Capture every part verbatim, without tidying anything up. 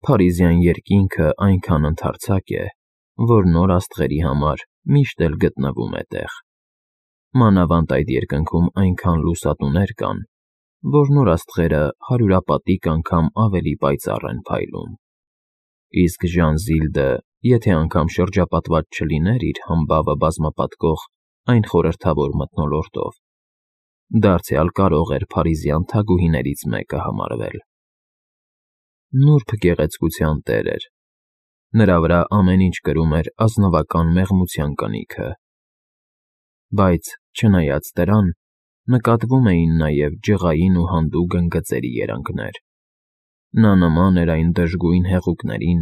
Փարիզյան երկինքը այնքան ընդարձակ է, որ նոր աստղերի համար միշտ էլ գտնվում է տեղ, մանավանդ այդ երկնքում այնքան լուսատուներ կան, որ նոր աստղերը հարյուրապատիկ անգամ ավելի պայծառ են փայլում, իսկ Ժանզիլդը, եթե անգամ շրջապատված չլիներ իր համբավը բազմապատկող այն խորհրդավոր մթնոլորտով, դարձյալ կարող էր փարիզյան թագուհիներից մեկը համարվել։ Նուրբ գեղեցկության տեր էր, նրա վրա ամեն ինչ կրում էր ազնվական մեղմության կնիքը, բայց, չնայած դրան, նկատվում էին նաև ջղային ու հանդու գնգծերի երանգներ. նա նման էր այն դժգույն հեղուկներին,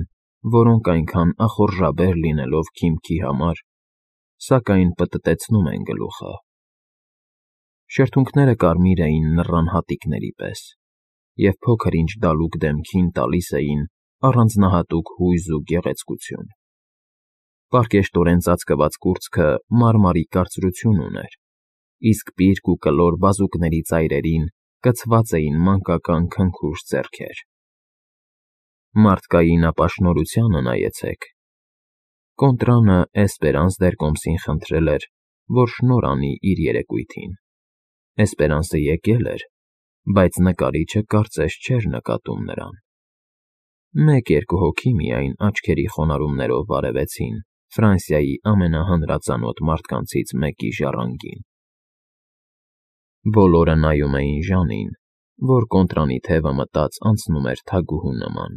որոնք այնքան ախորժաբեր լինելով քիմքի համար, սակայն պտտեցնում են գլուխը։ Շրթունքները կարմիր էին նռան հատիկների պես, և փոքր-ինչ դալուկ դեմքին տալիս էին առանձնահատուկ հույզ ու գեղեցկություն։ Պարկեշտորեն ծածկված կուրծքը մարմարի կարծրություն ուներ, իսկ պիրկ ու կլոր բազուկների ծայրերին կցված էին մանկական քնքուշ ձեռքեր։ Մարդկային ապաշնորհությանը նայեցեք։ Կոնտրանը Էսպերանս դեր կոմսին խնդրել էր, որ շնորհ անի իր երեկույթին։ Էսպերանսը եկել էր, բայց նկարիչը կարծես չէր նկատում նրան։ Մեկ֊երկու հոգի միայն աչքերի խոնարհումներով բարևեցին Ֆրանսիայի ամենահանրածանոթ մարդկանցից մեկի ժառանգին։ Բոլորը նայում էին Ժանին, որ կոնտրանի թևը մտած անցնում էր թագուհու նման,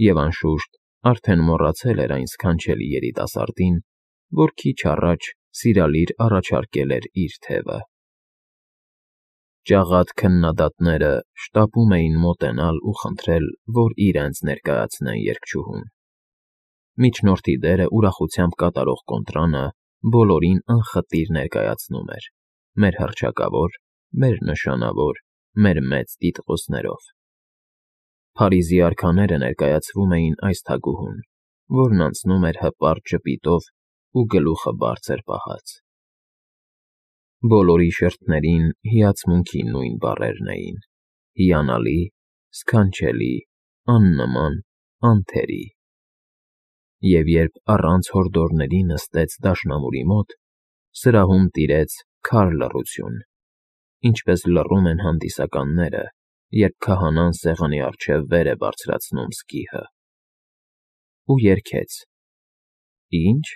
և, անշուշտ, արդեն մոռացել էր այն սքանչելի երիտասարդին, որ քիչ առաջ սիրալիր առաջարկել էր իր թևը։ Ճաղատ քննադատները շտապում էին մոտենալ ու խնդրել, որ իրենց ներկայացնեն երգչուհուն։ Միջնորդի դերը ուրախությամբ կատարող Կոնտրանը բոլորին անխտիր ներկայացնում էր մեր հռչակավոր, մեր նշանավոր, մեր մեծ տիտղոսներով։ Փարիզի արքաները ներկայացվում էին այս թագուհուն, որն անցնում էր հպարտ ժպիտով ու գլուխը բարձր պահած։ Բոլորի շրթերին հիացմունքի նույն բառերն էին՝ հիանալի, սքանչելի, աննման, անթերի։ Եվ երբ առանց հորդորների նստեց դաշնամուրի մոտ, սրահում տիրեց քար լռություն, ինչպես լռում են հանդիսականները, երբ քահանան սեղանի առջև վեր է բարձրացնում սկիհը։ Ու երգեց. Ի՞նչ։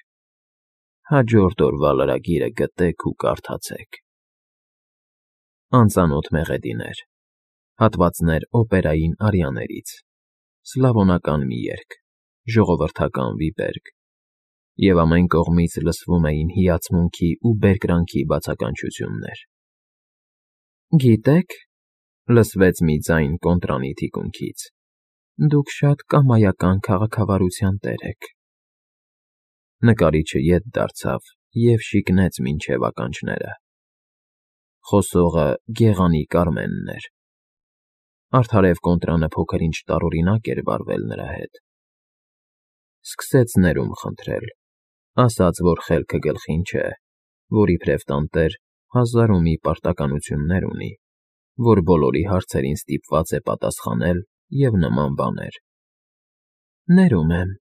Հաջորդ օրվա լրագիրը գտեք ու կարդացեք։ Անծանոթ մեղեդիներ, հատվածներ օպերային արիաներից, սլավոնական մի երգ, ժողովրդական վիպերգ, և ամեն կողմից լսվում էին հիացմունքի ու բերկրանքի բացականչություններ։ Գիտե՞ք,֊ լսվեց մի ձայն Կոնտրանի թիկունքից,֊ դուք շատ կամայական քաղաքավարության տեր եք։ Նկարիչը ետ դարձավ և շիկնեց մինչև ականջները։ Խոսողը գեղանի Կարմենն էր։ Արդարև Կոնտրանը փոքր-ինչ տարօրինակ էր վարվել նրա հետ։ Սկսեց ներում խնդրել, ասաց, որ խելքը գլխին չէ, որ իբրև տանտեր հազար ու մի պարտականություններ ունի, որ բոլորի հարցերին ստիպված է պատասխանել և նման բաներ։ Ներում եմ,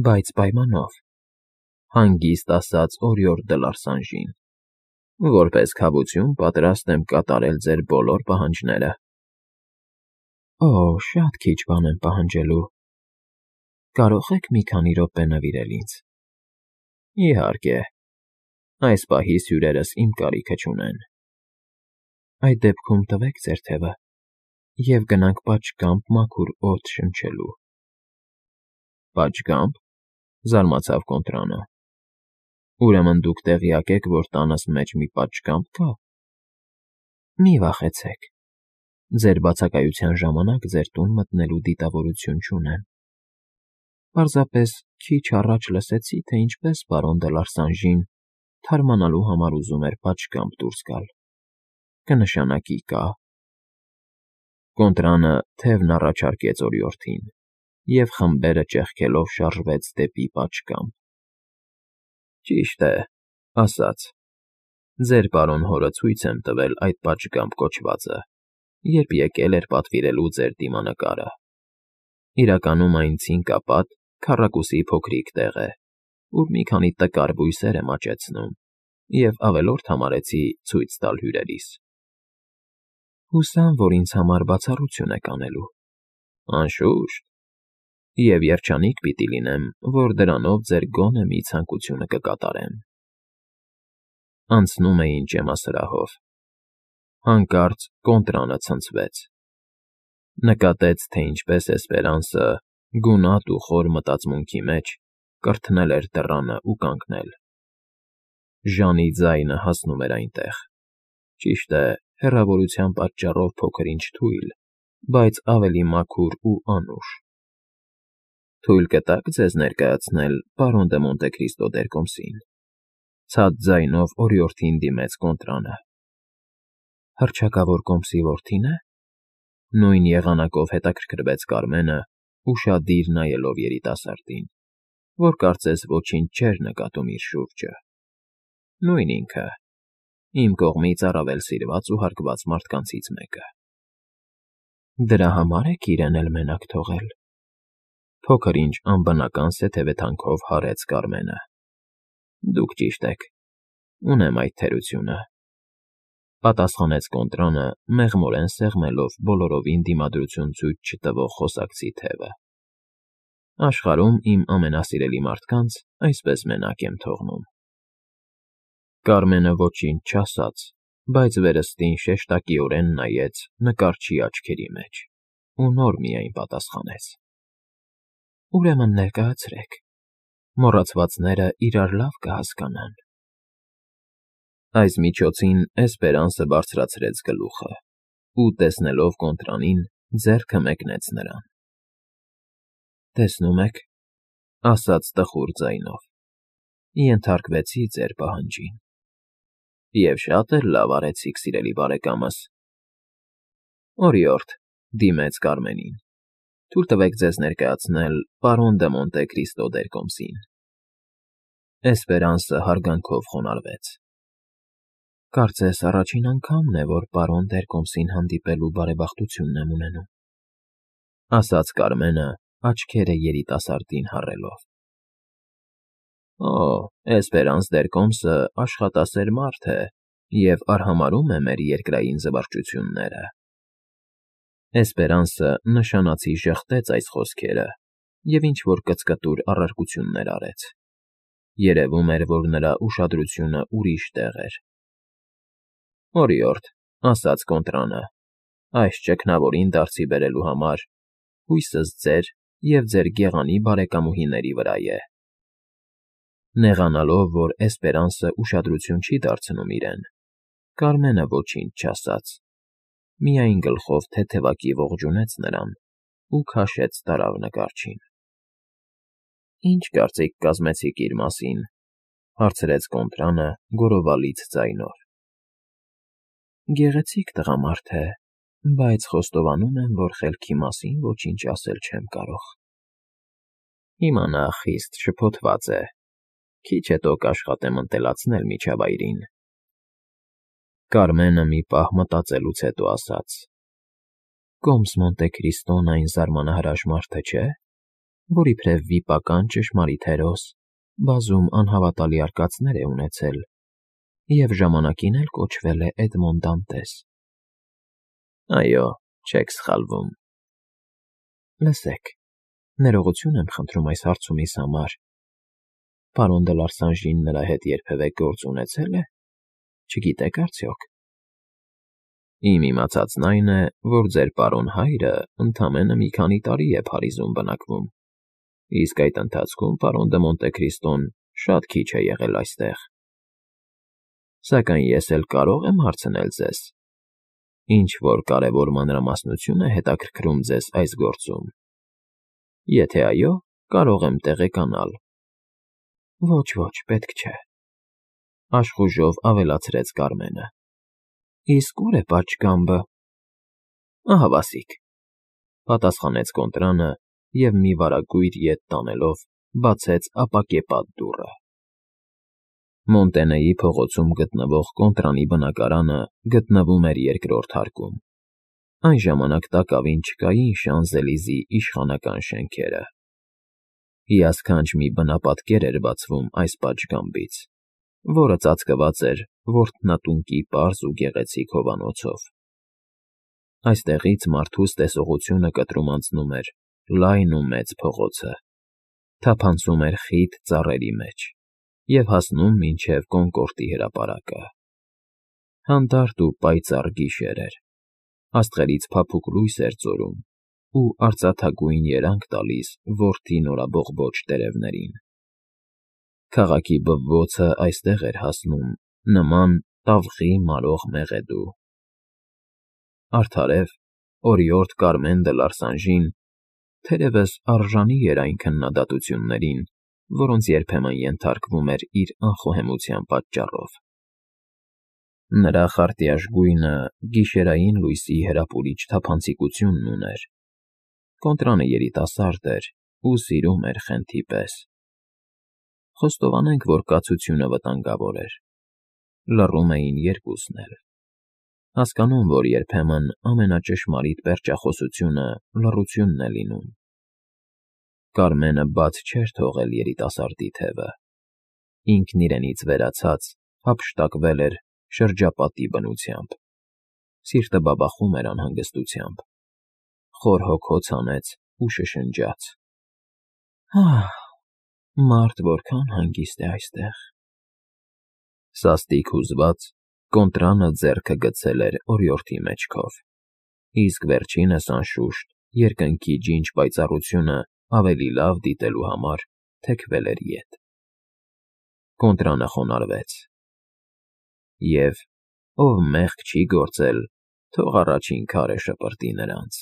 բայց պայմանով,֊ հանգիստ ասաց օրիորդ դը Լարսանժին,֊ որպես քավություն պատրաստ եմ կատարել ձեր բոլոր պահանջները։ Օ, շատ քիչ բան եմ պահանջելու։ Կարո՞ղ եք մի քանի րոպե նվիրել ինձ։ Իհարկե, այս պահիս հյուրերս իմ կարիքը չունեն։ Այդ դեպքում տվեք ձեր թևը, և գնանք պատշգամբ մաքուր օդ շնչելու։ Պատշգամբ,֊ զարմացավ Կոնտրանը,֊ ուրեմն դուք տեղյակ եք, որ տանս մեջ մի պատշգամբ կա։ Մի վախեցեք, ձեր բացակայության ժամանակ ձեր տուն մտնելու դիտավորություն չունեմ։ Պարզապես քիչ առաջ լսեցի, թե ինչպես պարոն դը Լարսանժին թարմանալու համար ուզում էր պատշգամբ դուրս գալ։ Կնշանակի կա։ Կոնտրանը թևն առաջարկեց օրիորդին, և խմբերը ճեղքելով շարժվեց դեպի պատշգամբ։ Ճիշտ է, ասաց. ձեր պարոն հորը ցույց եմ տվել այդ պատշգամբ կոչվածը, երբ եկել էր պատվիրելու ձեր դիմանկարը։ Իրականում այն ցինկապատ, քառակուսի փոքրիկ տեղ է, ուր մի քանի տկար բույսեր եմ աճեցնում և ավելորդ համարեցի ցույց տալ հյուրերիս։ Հուսամ, որ ինձ համար բացառություն եք անելու։ Անշուշտ, և երջանիկ պիտի լինեմ, որ դրանով ձեր գոնե մի ցանկությունը կկատարեմ։ Անցնում էին ճեմասրահով։ Հանկարծ կոնտրանը ցնցվեց։ Նկատեց, թե ինչպես Էսպերանսը, գունատ ու խոր մտածմունքի մեջ, կրթնել էր դռանը ու կանգնել։ Ժանի ձայնը հասնում էր այնտեղ, ճիշտ է, հեռավորության պատճառով փոքր֊ինչ թույլ, բայց ավելի մաքուր ու անուշ։ Թույլ կտա՞ք ձեզ ներկայացնել պարոն դը Մոնտեկրիստո դերկոմսին,֊ ցած ձայնով օրիորդին դիմեց կոնտրանը։ Հռչակավոր կոմսի որդի՞ն է,֊ նույն եղանակով հետաքրքրվեց Կարմենը, ուշադիր նայելով երիտասարդին, որ կարծես ոչինչ չէր նկատում իր շուրջը։ Նույն ինքը, իմ կողմից առավել սիրված ու հարգված մարդկանցից մեկը։ Դրա համար եք իրեն էլ մենակ թողել,֊ փոքր֊ինչ անբնական սեթևեթանքով հարեց Կարմենը։ Դուք ճիշտ եք, ունեմ այդ թերությունը,֊ պատասխանեց կոնտրանը, մեղմորեն սեղմելով բոլորովին դիմադրություն ցույց չտվող խոսակցի թևը։ Աշխարհում իմ ամենասիրելի մարդկանց այսպես մենակ եմ թողնում։ Կարմենը ոչինչ չասաց, բայց վերստին շեշտակիորեն նայեց նկարչի աչքերի մեջ ու նոր միայն պատասխանեց. Ուրեմն ներկայացրեք, մոռացվածները իրար լավ կհասկանան։ Այս միջոցին Էսպերանսը բարձրացրեց գլուխը ու, տեսնելով կոնտրանին, ձեռքը մեկնեց նրան։ Տեսնում եք,֊ ասաց տխուր ձայնով,֊ ենթարկվեցի ձեր պահանջին։ Եվ շատ էլ լավ արեցիք, սիրելի բարեկամս։ Օրիորդ,֊ դիմեց Կարմենին,֊ թույլ տվեք ձեզ ներկայացնել պարոն դը Մոնտեկրիստո դերկոմսին։ Էսպերանսը հարգանքով խոնարհվեց։ Կարծես առաջին անգամն է, որ պարոն դերկոմսին հանդիպելու բարեբախտությունն եմ ունենում,֊ ասաց Կարմենը, աչքերը երիտասարդին հառելով։ Օ, Էսպերանս դերկոմսը աշխատասեր մարդ է և արհամարհում է մեր երկրային զվարճությունները։ Էսպերանսը նշանացի ժխտեց այս խոսքերը և ինչ֊որ կծկտուր առարկություններ արեց։ Երևում էր, որ նրա ուշադրությունը ուրիշ տեղ էր։ Օրիորդ,֊ ասաց կոնտրանը,֊ այս ճգնավորին դարձի բերելու համար հույսս ձեր և ձեր գեղանի բարեկամուհիների վրա է։ Նեղանալով, որ Էսպերանսը ուշադրություն չի դարձնում իրեն, Կարմենը ոչինչ չասաց, միայն գլխով թեթևակի ողջունեց նրան ու քաշեց տարավ նկարչին։ Ի՞նչ կարծիք կազմեցիք իր մասին,֊ հարցրեց կոնտրանը գոռովալից ձայնով։ Գեղեցիկ տղամարդ է, բայց խոստովանում եմ, որ խելքի մասին ոչինչ ասել չեմ կարող։ Հիմա նա խիստ շփոթված է, քիչ հետո կաշխատեմ ընտելացնել միջավայրին։ Կարմենը մի պահ մտածելուց հետո ասաց. Կոմս Մոնտեկրիստոն այն զարմանահրաշ մարդը չէ, որ իբրև վիպական ճշմարիտ հերոս, բազում անհավատալի արկածներ է ունեցել և ժամանակին էլ կոչվել է Էդմոն Դանտես։ Այո, չեք սխալվում։ Լսեք, ներողություն եմ խնդրում այս հարցումիս համար, պարոն դը Լարսանժին նրա հետ երբևէ գործ ունեցե՞լ է, չգիտեք արդյոք։ Իմ իմացածն այն է, որ ձեր պարոն հայրը ընդամենը մի քանի տարի է Փարիզում բնակվում, իսկ այդ ընթացքում պարոն դը Մոնտեկրիստոն շատ քիչ է եղել այստեղ։ Սակայն ես էլ կարող եմ հարցնել ձեզ. ինչ֊որ կարևոր մանրամասնություն է հետաքրքրում ձեզ այս գործում։ Եթե այո, կարող եմ տեղեկանալ։ Ոչ, ոչ, պետք չէ,֊ աշխուժով ավելացրեց Կարմենը։ Իսկ ուր է պատշգամբը։ Ահավասիկ,֊ պատասխանեց կոնտրանը և մի վարագույր ետ տանելով բացեց ապակեպատ դուռը։ Մոնտենեի փողոցում գտնվող կոնտրանի բնակարանը գտնվում էր երկրորդ հարկում։ Այն ժամանակ տակավին չկային Շանզելիզի իշխանական շենքերը։ Հիասքանչ մի բնապատկեր էր բացվում այս պատշգամբից, որը ծածկված էր Որտնատունկի պարզ ու գեղեցիկ հովանոցով։ Այստեղից մարդուս տեսողությունը կտրում անցնում էր լայն ու մեծ փողոցը, թափանցում էր խիտ ծառերի մեջ և հասնում մինչև Կոնկորդի հրապարակը։ Հանդարտ ու պայծառ գիշեր էր, աստղերից փափուկ լույս էր ծորում ու արծաթագույն երանգ տալիս Որտի նորաբողբոջ տերևներին։ Քաղաքի բվոցը այստեղ էր հասնում նման տավղի մարող մեղեդու։ Արդարև, օրիորդ Կարմեն դը Լարսանժին թերևս արժանի էր այն քննադատություններին, որոնց երբեմն ենթարկվում էր իր անխոհեմության պատճառով։ Նրա խարտյաշ գույնը գիշերային լույսի հրապուրիչ թափանցիկությունն ուներ։ Կոնտրանը երիտասարդ էր ու սիրում էր խենթի պես։ Խոստովանենք, որ կացությունը վտանգավոր էր։ Լռում էին երկուսն էլ։ Հասկանում, որ երբեմն ամենաճշմարիտ պերճախոսությունը լռությունն է լինում։ Կարմենը բաց չէր թողել երիտասարդի թևը։ Ինքն իրենից վերացած հափշտակվել էր շրջապատի բնությամբ։ Սիրտը բաբախում էր անհանգստությամբ։ Խոր հոգոց հանեց ու շշնջաց. «Ահ, մարդ որքան հանգիստ է այստեղ»։ Սաստիկ հուզված, Կոնտրանը ձեռքը գցել էր օրիորդի մեջքով, իսկ վերջինս, անշուշտ, երկնքի ջինջ պայծառությունը ավելի լավ դիտելու համար թեքվել էր ետ։ Կոնտրանը խոնարհվեց. «Եվ ով մեղք չի գործել, թող առաջին քարը շպրտի նրանց»։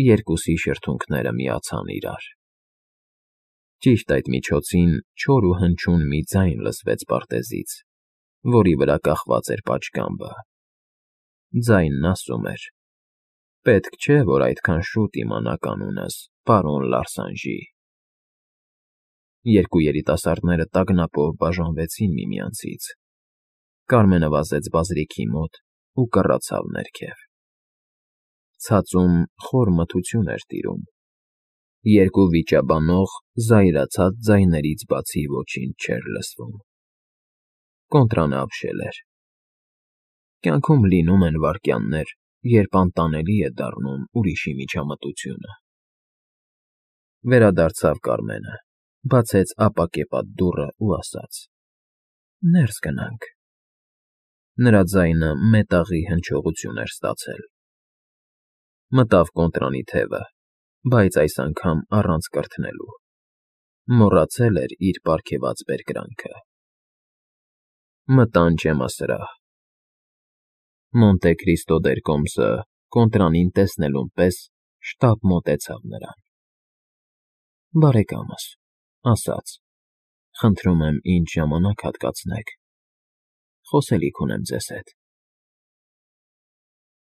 Երկուսի շրթունքները միացան իրար։ Ճիշտ այդ միջոցին չոր ու հնչյուն մի ձայն լսվեց պարտեզից, որի վրա կախված էր պատշգամբը։ Ձայնն ասում էր. «Պետք չէ, որ այդքան շուտ իմանաք անունս, պարոն Լարսանժի»։ Երկու երիտասարդները տագնապով բաժանվեցին միմյանցից։ Կարմենը վազեց բազրիքի մոտ ու կռացավ ներքև։ Ցածում խոր մթություն էր տիրում։ Երկու վիճաբանող, զայրացած ձայներից բացի ոչինչ չէր լսվում։ Կոնտրանը ապշել էր։ Կյանքում լինում են վայրկյաններ, երբ անտանելի է դառնում ուրիշի միջամտությունը։ Վերադարձավ Կարմենը, բացեց ապակեպատ դուռն ու ասաց. «Ներս գնանք»։ Նրա ձայնը մետաղի հնչողություն էր ստացել։ Մտավ Կոնտրանի թևը, բայց այս անգամ առանց կրթնելու։ Մոռացել էր իր պարգևած բերկրանքը։ Մտան ջեմասրահ։ Մոնտե Քրիստո դեր կոմսը Կոնտրանին տեսնելուն պես շտապ մոտեցավ նրան։ «Բարեկամս», ասաց, «խնդրում եմ ինձ ժամանակ հատկացնեք. խոսելիք ունեմ ձեզ հետ»։